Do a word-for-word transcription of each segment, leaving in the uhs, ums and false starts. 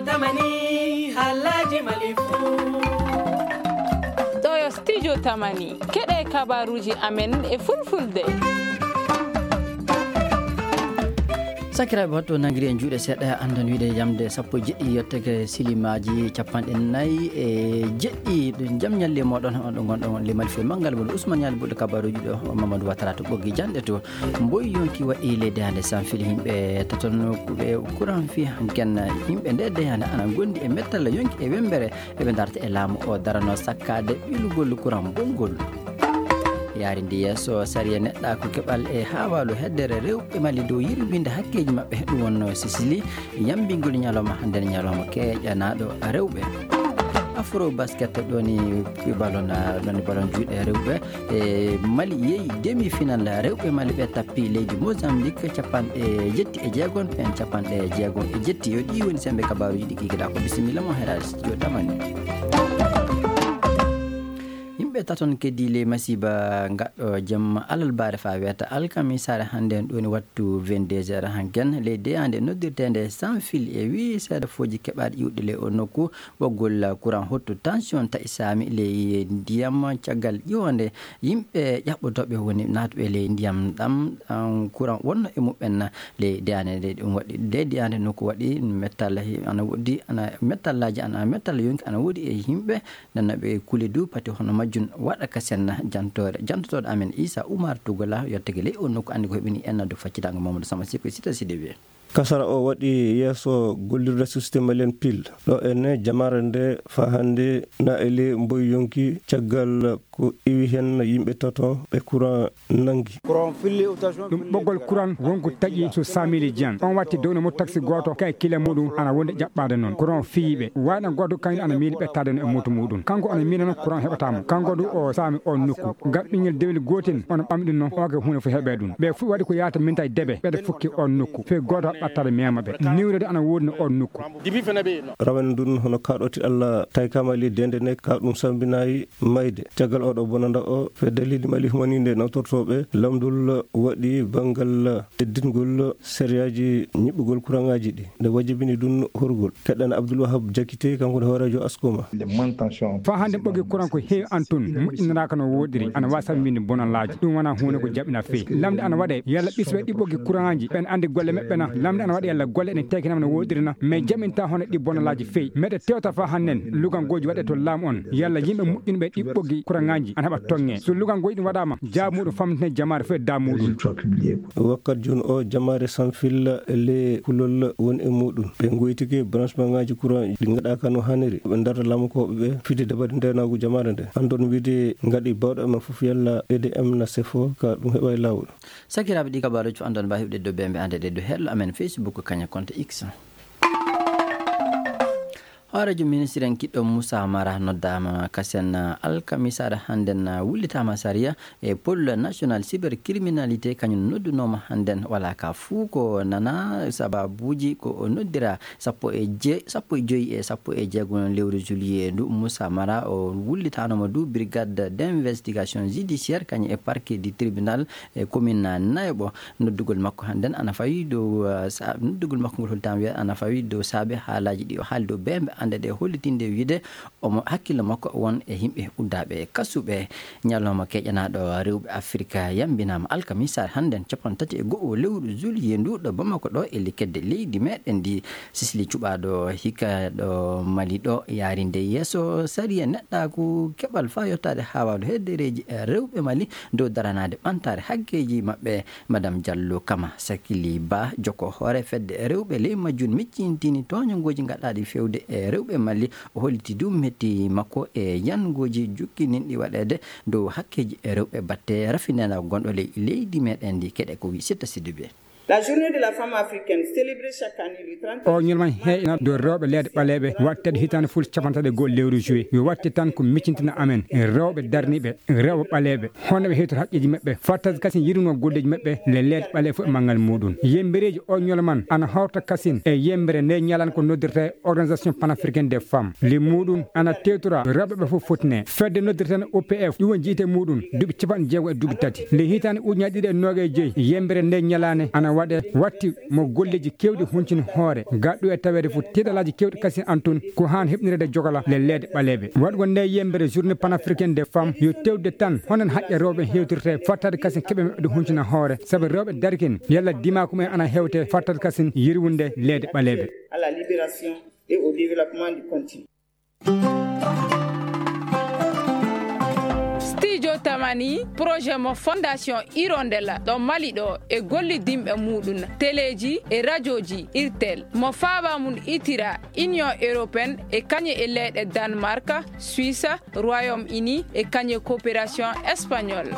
Tamani, haalaaji Mali fuu. Ɗo yo Studio Tamani. Keɗe kabaruuji amen e Fulfulde. Sakiraaɓe, wattu nangiri en juuɗe seeɗa, anndon wiide yamde sappo e jeɗɗi yottake silimaaji capanɗe nayi e jeɗɗi. Ɗum jam ñalli e mooɗon, on ɗo ngonɗon on le Mali fii manngal woni Ousmane Ñaali Buɗɗo kabaruuji ɗo, Mamadou Watara to ɓoggi janɗe to. Mboy yonki waɗi leydi hannde sanfili yimɓe taton kuɓe kuran fii hanken yimɓe nde de hannde ana ngondi e mettalla yonki e wembere. Eɓe darta e laamu o darano sakkaade ɓilugol kuran bonngol. Yaarindi yeeso sariya neɗɗaaku keɓal e haawaalu heddere rewɓe Mali dow yirwinde hakkeeji maɓɓe. Ɗum wonno Sisili yambingol ñalawma hannde ñalawma keeƴanaaɗo rewɓe. Afro basket ɗoni balon, ɗoni balon juuɗe rewɓe. E Mali yehi demi final rewɓe Mali ɓe tappi leydi Mozambique capanɗe jetti e jeegon pen capanɗe jeegon e jetti. Yo ɗi woni sembe kabaruuji ɗi kikiɗa ko bisimilla mo heraade studio tamani. Yimɓe taton keddi ley masiiba ngaɗɗo jemma alalbaare faa weeta alkamisaare hannde en ɗoni wattu vingt-deux heures hanken ley deyaande noddirteende sans fil e wii seeɗa fooji keɓaaɗi iwɗi ley o nokku. Ɓoggol kuran hottu tension taƴi saami ley ndiyam caggal ƴiwonde yimɓe ƴaɓɓotooɓe woni naatuɓe ley ndiyam ɗam, ɗam kuran wonno e muɓɓen ley deyaande nde ɗum waɗi. Ley deyaande nokku waɗi mettalla he-, ana woodi, ana mettallaaji, ana mettalla yonki ana woodi e yimɓe. Nana ɓe kuli du pati hono majjum waɗa ka senna jantoore. Jantotooɗo amen Isa Umar Tugola yottake ley o nokku anndi ko heɓini en addu faccitango Mamadou Sama Siko Sita Sidibé. Kasara o waɗi yeeso gollirde Société Malienne Pile. Ɗo enne jamaare nde faa hannde na e ley mboy yonki caggal ko iwi heen yimɓe tato ɓe kuran nanngi. Ɗum ɓoggol kuran wonko taƴi so Samili Dieng. On watti dow no mo taksi gooto ka e kile muɗum ana wonde ƴaɓɓaade noon. Kuran fiyiiɓe. Waɗa gooto kañum ana miili ɓettaade no e moto muɗum. Kanko ana miila noon kuran heɓataa mo. Kanko du o saami on nokku. Ngam ɓinngel dewel gootel ono ɓamɗi noon, oke huunde fof heɓee ɗum. Ɓe fof waɗi ko yahata minta e debe. Ɓeɗe fukki on nokku. Fee gooto ɓattaade mema ɓe. Niwre de ana woodi no on nokku. Rawane ndun hono kaaɗooti Allah tawi kamali dende ne ka ɗum sambinayi mayde. Caggal oɗo bonanda o, fedde leydi Mali humaninde nawtortooɓe lamdol waɗi banngal teddingol sariyaaji ñiɓɓugol kuraŋaaji ɗi. Nde wajibini ɗum horgol. Keɗɗan Abdoul Wahab Diakité, kanko woni hooreejo Askoma. Faa hannde ɓoggi kuran ko heewi an tun, moƴƴinanaaka no wooɗiri, ana waawi sambinde bonalaaji. Ɗum wonaa huunde ko jaɓina feewi. Lamnde ana waɗee, yalla ɓisɓe ɗi ɓoggi kuraŋaaji, ɓen anndi golle maɓɓe na? Lamnde ana waɗee, yalla golle ɗen tekinama no wooɗiri na? Mais jaɓinta hono ɗi bonalaaji feewi. Meɗe tewta faa hannden, lugangooji waɗee to laamu on, yalla yimɓe moƴƴinɓe ɗi ɓoggi kuraŋaaji ana heɓa toŋŋe. So lugangooji ɗin waɗaama, jaabu muɗum famtine jamaare fof e daamu muɗum. Wakkat jooni o, jamaare Sanfil le kulol woni e muɗum. Ɓe ngoytike branchement ŋaaji courant ɗi ngaɗaaka no haaniri. Ɓe darta laamukooɓe ɓe fide dabare ndeenaagu jamaare nde. Anndon wiide ngaɗi baawɗo e men fof yalla E D M na sefo ka ɗum heɓa e laawol. Sakiraaɓe, ɗi kabaaruuji fof anndon mbaawi heɓde dow bembe annde ɗe dow hello amen Facebook kaña compte X. Hooreejo ministre en kiɗɗo Moussa Mara noddaama kasen alkamisaare hannden wullitaama sariya e pôle national cybercriminalité kañum noddunooma hannden wala ka fuu ko nana sababuuji ko o noddira sappo e je-, sappo e joyi e sappo e jeego lewru juillet ndu. Moussa Mara o wullitaanooma du brigade d'investigation judiciaire kañum e parquet du tribunal e commune Nayoɓo. Noddugol makko hannden ana fawi dow, uh, sa-, noddugol makko ngol hollitaama wiya ana fawi dow saabe haalaaji ɗi o haali dow bembe annde ɗe hollitinde wiide omo hakkille makko won e yimɓe uddaaɓe e kasuɓe. Ñalawma keƴanaaɗo rewɓe Afirka yambinaama alkamisaare hannden capanɗe tati e go'o lewru juillet ndu ɗo Bamako ɗo e likedde leydi meɗen ndi. Sisli cuɓaaɗo hikka ɗo Mali ɗo yaarinde yeeso sariya neɗɗaaku keɓal faa yottaade haawaalu heddereeji e rewɓe Mali dow daranaade ɓantaare hakkeeji maɓɓe. Madame Diallo Kama Sakili Ba, jokko hoore fedde rewɓe ley majjun, miccintini tooñangooji gaɗaaɗi fewde e rewɓe Mali. O holliti du metti makko e yangooji jukkininɗi waɗeede dow hakkeeji rewɓe batte rafinanaago gonɗo ley leydi meɗen ndi. Keɗe ko wi Sitta Sidibé. La journée de la femme africaine célébrée chaque année le trente. O ñalawma heeƴana dow rewɓe leyɗe ɓaleeɓe wattede hitaande fof capanɗe tati e go'o lewru juillet. Yo watte tan ko miccintina amen rewɓe darniiɓe, rewɓe ɓaleeɓe, hono ɓe heewtata haqqeeji maɓɓe, fattata kasin yirwinoo golleeji maɓɓe, le leyɗe ɓaleeɓe fof e manngal muɗum. Yembereeji o ñalawma ana hawta kasin e yembere nde ñalaande ko noddirta organisation panafricaine des femmes. Le muɗum ana tewtora rewɓe ɓe fof fotine. Fedde noddirten O P F, ɗum woni jiyte muɗum duuɓi capanɗe jeego e duuɓi tati. Nde hitaande ujunaaji ɗiɗi e noogay e joyi, yembere nde ñalaande ana Waɗe watti mo golleeji keewɗi huncini hoore, gaɗɗo e taweede fof tiiɗalaaji keewɗi kasin an tun, ko haan heɓnireede jogala le leeɗe ɓaleeɓe. Waɗgol nde yembere journée panafricaine des femmes, yo tewde tan hono haqqe rewɓe hewtirte, fattaade kasin keɓe maɓɓe ɗe huncina hoore, sabu rewɓe darkin, yalla dimaako mumen ana hewte, fattaade kasin yirwunde leeɗe ɓaleeɓe. À la libération et au développement du continent. Studio Tamani, projet mo Fondation Hirondella ɗo Mali ɗo e gollidinɓe muɗum, teleeji e rajooji Irtel, mo faaba mum itira Union Européenne e kañe e leyɗe Danemark, Suisse, Royaume-Uni e kañe coopération espagnole.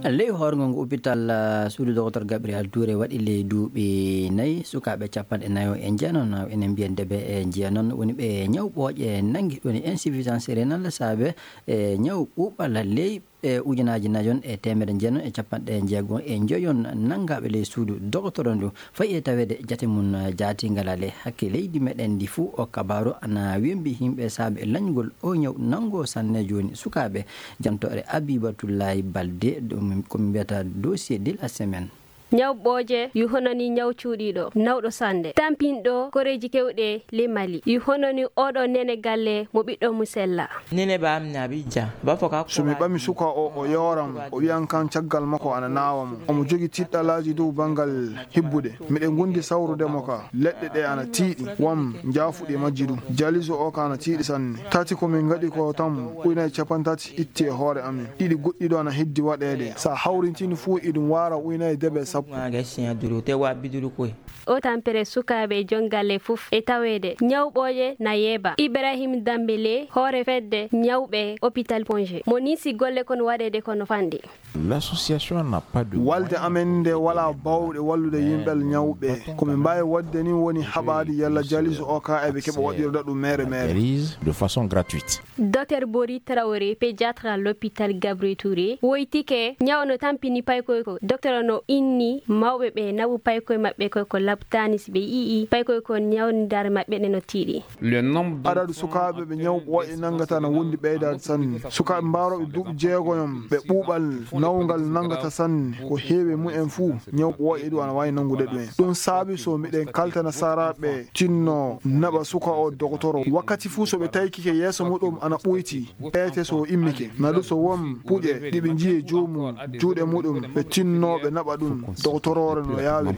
Ley hoorngo ngu hôpital, ah, suudu Docteur Gabriel Touré waɗi ley duuɓi nayi, sukaaɓe capanɗe nayo e jeenon, ene mbiyen debe e jeenon, woni ɓe ñaw ɓooƴe nangi, woni insuffisance rénale, saabe e ñaw ɓuuɓal ley e ujunaaji nayon e teemedde jeenon e capanɗe jeego e njoyon nanngaaɓe ley suudu dogotoro ndu. Fayi e taweede jate mum jaatiingal ale hakke leydi meɗen ndi fuu, o kabaaru ana wembi yimɓe saabe lañgol o ñaw nanngo sanne jooni sukaaɓe. Jantoore Abibatullahi Balde, ɗum ko mbiyata dossier de la semaine. Ñaw ɓooƴe yu hono ni ñaw cuuɗiiɗo, nawɗo sannde, tampinɗo koreeji keewɗe le Mali, yu hono ni oɗo nene galle mo ɓiɗɗo mu sella. Nene ba am na bija, ba foka. So mi ɓami suka o, o yooram, o wiyan kan caggal makko ana naawa mo. Omo jogi tiɗɗalaaji dow banngal hibbude. Miɗen ngondi sawrude mo ka. Leɗɗe ɗe ana tiiɗi, wam njaafuɗi majji du. Jaliso o ka ana tiiɗi sanne. Tati ko min ngaɗi ko tan ujunaaji capanɗe tati itti e hoore amin. Ɗiɗi goɗɗi ɗo ana heddi waɗeede. Sa hawrintini fuu, iɗum waara ujunaaji debe sappo. Maga siya duru, te wa biduru koy. O tampere sukaaɓe e jongalle fof e taweede. Ñaw ɓooƴe na yeeba. Ibrahim Dambele, hoore fedde ñawɓe hôpital Ponge. Mo nisi golle kon waɗeede kono fanɗi. L'association n'a pas de Walde amen nde walaa baawɗe wallude yimɓe ñawɓe. Ko min mbaawi waɗde ni woni haɓaade yalla jaliso o ka eɓe keɓa waɗirda ɗum mere mere. Analyse de façon gratuite. Docteur Bori Traoré, pédiatre à l'hôpital Gabriel Touré, woytike ñaw no tampini paykoy ko. Docteur no inni mawɓe ɓe naɓu paykoy maɓɓe koy ko labtaani si ɓe yi'i paykoy ko ñawndaare maɓɓe ɗe no tiiɗi. Le nombre de Adadu sukaaɓe ɓe ñaw ɓooƴe nanngata na wondi ɓeydaade sanne. Sukaaɓe mbaarooɓe duuɓi jeegoyon ɓe ɓuuɓal nawngal nanngata sanne, ko heewi e mumen fuu ñaw ɓooƴe ɗum ana waawi nanngude ɗum en. Ɗum saabi so miɗen kaltana saraaɓe tinno naɓa suka o dogotoro. Wakkati fuu so ɓe tawi kike yeeso muɗum ana ɓoyti, ete so o immike. Naɗu so won puƴe ɗi ɓe njiye joomum juuɗe muɗum, ɓe tinno ɓe naɓa ɗum dogotoroore no yaawi.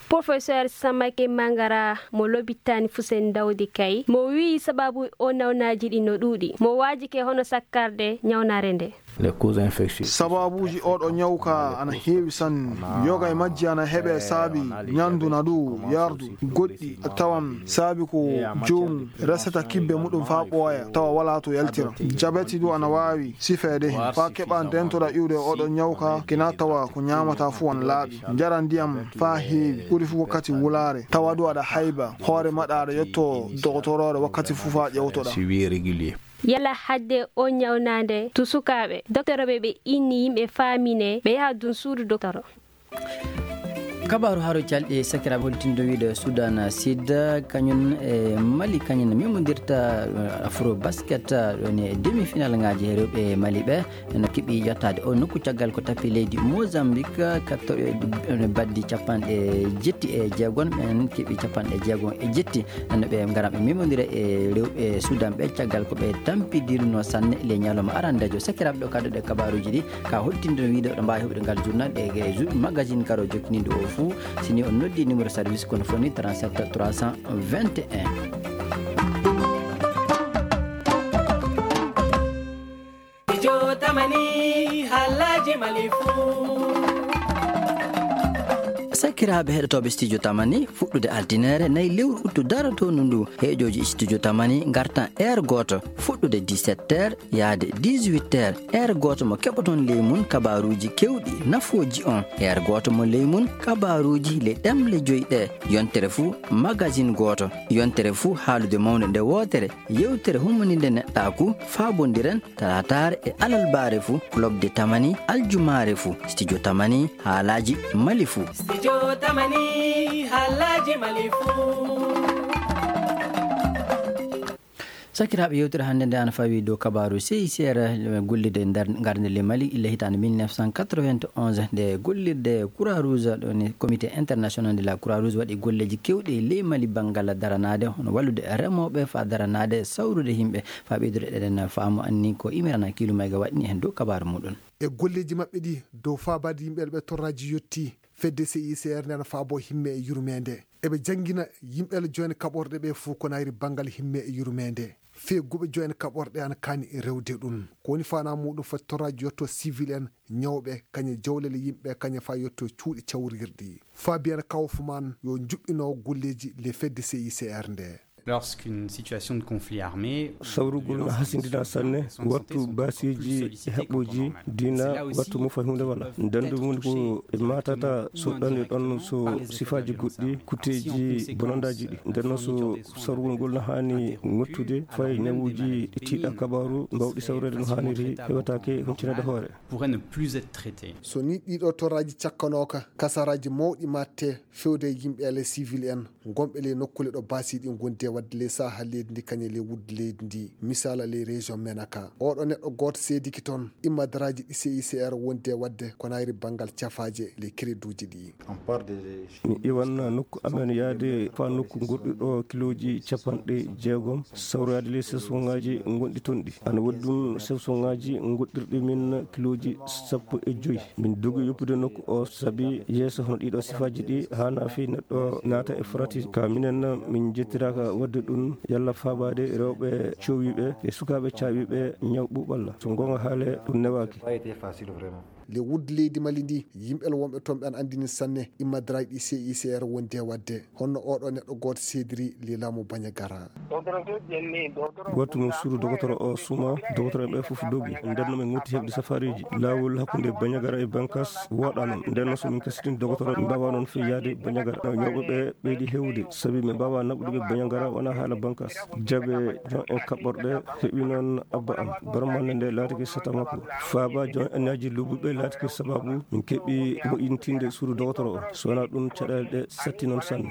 Professeur Samake Mangara mo lobitani Fusen Dawdi Kay, mo wi'i sababu o nawnaaji ɗi no ɗuuɗi, mo waajike hono sakkarde ñawnaare nde. Les causes infectieuses. Sababuuji oɗo ñaw ka ana heewi sanne. Yoga e majji ana heɓe saabi ñandu na du yardu. Goɗɗi a tawan saabi ko joomum resata kibbe muɗum faa ɓooya, tawa walaa to yaltira. Jabeti du ana waawi sifeede hen. Faa keɓa ndentoɗa iwde oɗo ñaw ka, kina tawa ko ñaamata fuu ana laaɓi. Njara ndiyam faa heewi, ɓuri fuu wakkati wulaare. Tawa du aɗa hayba, hoore maɗa aɗa yetto dogotoroore wakkati fuu faa ƴewtoɗa. Suivi régulier. Yalla hadde o ñawnaande to sukaaɓe, doktorooɓe ɓe inni yimɓe faamine, ɓe yaha dun suudu doktoro. Kabaaru haro calɗi sakiraaɓe holtindo wiide Sudan Sud, kañum e Mali, kañum memondirta, eh, Afro Basket, eh, ɗon e demi-final ŋaaji he rewɓe Mali ɓe. No keɓi yottaade o nokku caggal ko tapi leydi Mozambique, katto-, eh, baddi capanɗe jetti e jeegon, ɓen keɓi capanɗe jeegon e jetti. No ɓe ngara ɓe memondira e rewɓe Sudan ɓe caggal ko ɓe tampidirno sanne le ñalawma arandeejo. Sakiraaɓe, ɗo kadduɗe kabaaruuji ɗi, ka holtinde no wiide oɗo mbaawi heɓude ngal journal e, e jou-, magazine garo jokkiniiɗo o fuu. Si ni on noddi numéro service kono foni trente-sept trois cent vingt et un. Studio Tamani, haalaaji Mali fuu. Sakiraaɓe heɗotooɓe Studio Tamani, fuɗɗude altine nayi lewru uttu darotoondu ndu, heeƴooji Studio Tamani ngartan heure gooto, fuɗɗude dix-sept heures yahde dix-huit heures, heure gooto mo keɓoton ley mum kabaaruuji keewɗi nafooji on. Heure gooto mo ley mum kabaaruuji ley ɗemle joy ɗe, yontere fuu magazine gooto, yontere fuu haalude mawnde nde wootere, yewtere hummuninde neɗɗaaku, faabondiren, talaataare e alarbaare fuu, Club de Tamani, aljumaare fuu, Studio Tamani, haalaaji Mali fuu. Studio Tamani, haalaaji Mali fuu. Sakiraaɓe, yewtere hannde nde ana fawi dow kabaaru C I C R, gollirde e nder ngarnde le Mali illa hitaande mille neuf cent quatre-vingt-onze, nde gollirde Croix Rouge, ɗo ni Comité International de la Croix Rouge waɗi golleeji keewɗi e ley Mali banngal daranaade, hono wallude remooɓe faa daranaade sawrude yimɓe, faa ɓeydude eɗen faamu anni ko imirana kiilu mayga waɗni heen dow kabaaru muɗum. E golleeji maɓɓe ɗi dow faabaade yimɓe ɓe torraaji yettii, fedde C I C R nde ana faabo himme e yurmeende. Eɓe janngina yimɓe joine kaɓorɗe ɓe fof ko nayri banngal himme e yurmeende. Fee guɓe joine kaɓorɗe ana kaani e rewde ɗum. Ko woni faanaa muɗum foti torraaji yetto civil en, ñawɓe, kañe jawlele yimɓe, kañe faa yetto cuuɗi cawrirɗi. Fabien Kaufmann yo juɓɓinoowo golleeji le fedde C I C R nde. Lorsqu'une situation de conflit armé, sawrugol na hasindina sanne, wattu baasiiji e haɓɓooji diina, wattu mo fay huunde wala. Ndanndu mum ko e matata so ɗon e ɗon so sifaaji goɗɗi, kutteeji bonandaaji ɗi. Nden noon so sawrugol ngol na haani ŋottude, fay ñawuuji ɗi tiiɗa kabaaru mbawɗi sawreede no haaniri, hewataake huncinaade hoore. Pourrait ne plus être traité. So ni ɗiɗo torraaji cakkanooka, kasaraaji mawɗi matte fewde e yimɓe ale civil en, gonɓe ley nokkuule ɗo baasiiɗi ngondi e waɗde ley saha leydi ndi kañe ley wudde leydi ndi, misaala ley région Menaka. Oɗo neɗɗo gooto seediki toon, immadaraaji ɗi C I C R wondi e waɗde ko nayri banngal cafaaje ley crédit uji ɗi. Mi iwan nokku amen yaade faa nokku goɗɗo ɗo kilooji capanɗe jeegom, sawroyaade ley sesongaaji gonɗi toon ɗi. Ana woodi ɗum sesongaaji goɗɗirɗi min kilooji sappo e joy. Min dogi yoppude nokku o sabi yeeso hono ɗiɗo sifaaji ɗi haana fii neɗɗo naata e frati. Ka minen min jettiraaka waɗde ɗum yalla faabaade rewɓe coowiiɓe e sukaaɓe caawiiɓe ñaw ɓuuɓalla. So goonga haale ɗum newaaki. Le wudde leydi Mali ndi, yimɓe wonɓe toon ɓe ana anndini sanne immadaraaji ɗi C I C R wondi e waɗde. Honno oɗo neɗɗo gooto seediri le laamu Bandiagara. Gooto mum suudu dogotoro o suma, dogotoro en ɓe fof dogi. Nden no min ngotti heɓde safaariiji. Laawol hakkunde Bandiagara e Bankas woɗɗaa noon. Nden no so min kasitini dogotoro, min mbaawaa noon fii yahde Bandiagara. Ñawɓe ɓe ɓeydi heewde, sabi min mbaawaa naɓude ɓe Bandiagara wonaa haala Bankas. Jaɓe jon en kaɓɓorɗe heɓi noon abba am. Barmande nde laatike sata makko. Faaba jon en aji luɓuɓe laatike sababu min keɓi moƴintinde suudu dogotoro o. So wonaa ɗum, caɗeele ɗe satti noon sanne.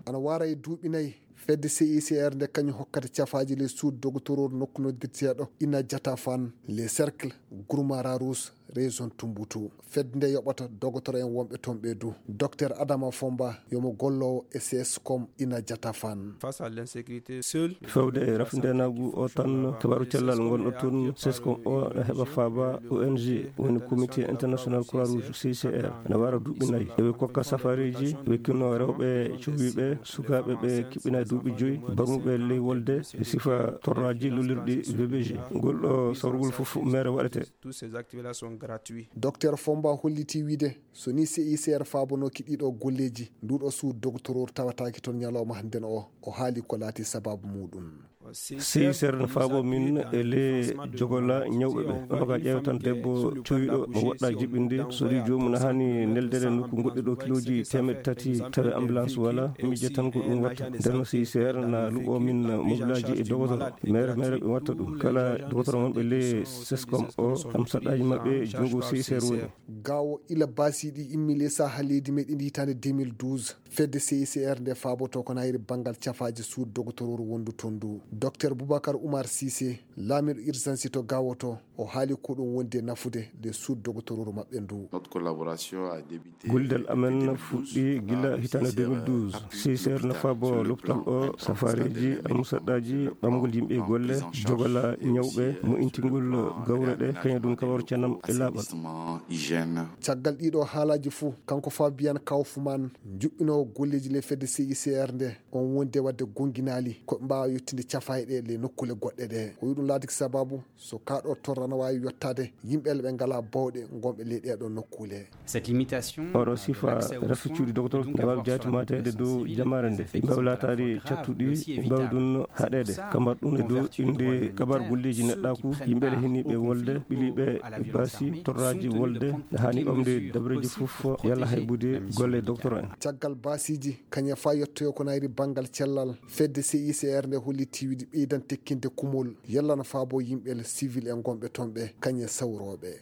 Ana wara e duuɓi nayi, fedde C I C R nde kañum hokkata cafaaji ley suudu dogotoro nokku noddirteeɗo Ina Jatafan, le cercle Gourmara Rouge, région Tombouctou. Fedde nde yoɓata dogotoro en wonɓe toon ɓe du. Docteur Adama Fomba, yomo golloowo e sescom Ina Jatafan. Face à l'insécurité, seul. Fewde e rafindeenaagu o tan, kabaaru cellal ngonɗo toon, sescom o na heɓa faaba O N G, woni Comité International Croix Rouge, C I C R, na wara duuɓi nayi. Eɓe kokka safaariiji, ɓe kinno rewɓe cowiiɓe, sukaaɓe ɓe kiɓɓina duuɓi joyi, barmuɓe ley wolde, e sifa torraaji lullirɗi V B G. Ngol ɗo sawrugol fof mere waɗete. Tous ces actes-là sont gratuits. Docteur Fomba holliti wiide, so ni C I C R faabanooki ɗiɗo golleeji, nduɗo suudu dogotoro tawataake toon ñalawma hannden o, o haali ko laati sababu muɗum. C I C R no faabo min e le jogola ñawɓe ɓe. Onoka ƴeewa tan debbo cuwiɗo mo woɗɗa jiɓinde, so ri joomum na haani neldere nokku goɗɗo ɗo kilooji teemeɗɗe tati, tawi ambulance wala, miija tan ko ɗum watta. Nden no C I C R na luɓo min mobilaaji e dogotoro. Mere, mere ɓe watta ɗum. Kala dogotoro wonɓe le sescom o, am saɗɗaaji maɓɓe, junngo C I C R woni. Gawo ila baasiiɗi immi le saha leydi meɗen ndi hitaande deux mille douze, fedde C I C R nde faaboto ko nayri banngal cafaaji suudu dogotororu wondu toon ndu. Docteur Boubacar Oumar Cissé, laamiiɗo urgence to Gawo to, o haali ko ɗum wondi e nafude le suudu dogotororu maɓɓe ndu. Notre collaboration a débuté. Gollidal amen fuɗɗi gila hitaande deux mille douze. C I C R na faabo lopital o, safareeji, almusaɗɗaaji, ɓamgol yimɓe e golle, jogola ñawɓe, mo'intingol gawre ɗe, kañum ɗum kabaru ceenam e laaɓal. Caggal ɗiɗo haalaaji fuu, kanko Fabian Kaufmann, juɓɓinoowo golleeji le fedde C I C R nde, on wondi e waɗde gonnginaali ko ɓe mbaawa yettinde cafaaɗe ɗe le nokkuule goɗɗe ɗe. O wi'i ɗum laatiki sababu so kaa ɗo torra na waawi yottaade yimɓe le ɓe ngalaa bawɗe ngonɓe ley ɗee ɗoo nokkuule. Cette limitation, oɗo sifa rafi cuuɗi dogotoro ne waawi jaati mateede dow jamaare nde. Ɓe mbaawi laataade cattuɗi, ɓe mbaawi ɗum haɗeede. Kambar ɗum e dow innde kabar golleeji neɗɗaaku, yimɓe le hiniiɓe wolde, ɓiliiɓe e baasi, torraaji wolde, ne haani ɓamde dabreeji fof, yalla haybude golle dogotoro en. Caggal baasiiji, kañe faa yettoyo ko nayri banngal cellal, fedde C I C R nde hollitii wiide ɓeydan tekkinde kumol, yalla no faabo yimɓe le civil en ngonɓe toon ɓe, kañe sawrooɓe.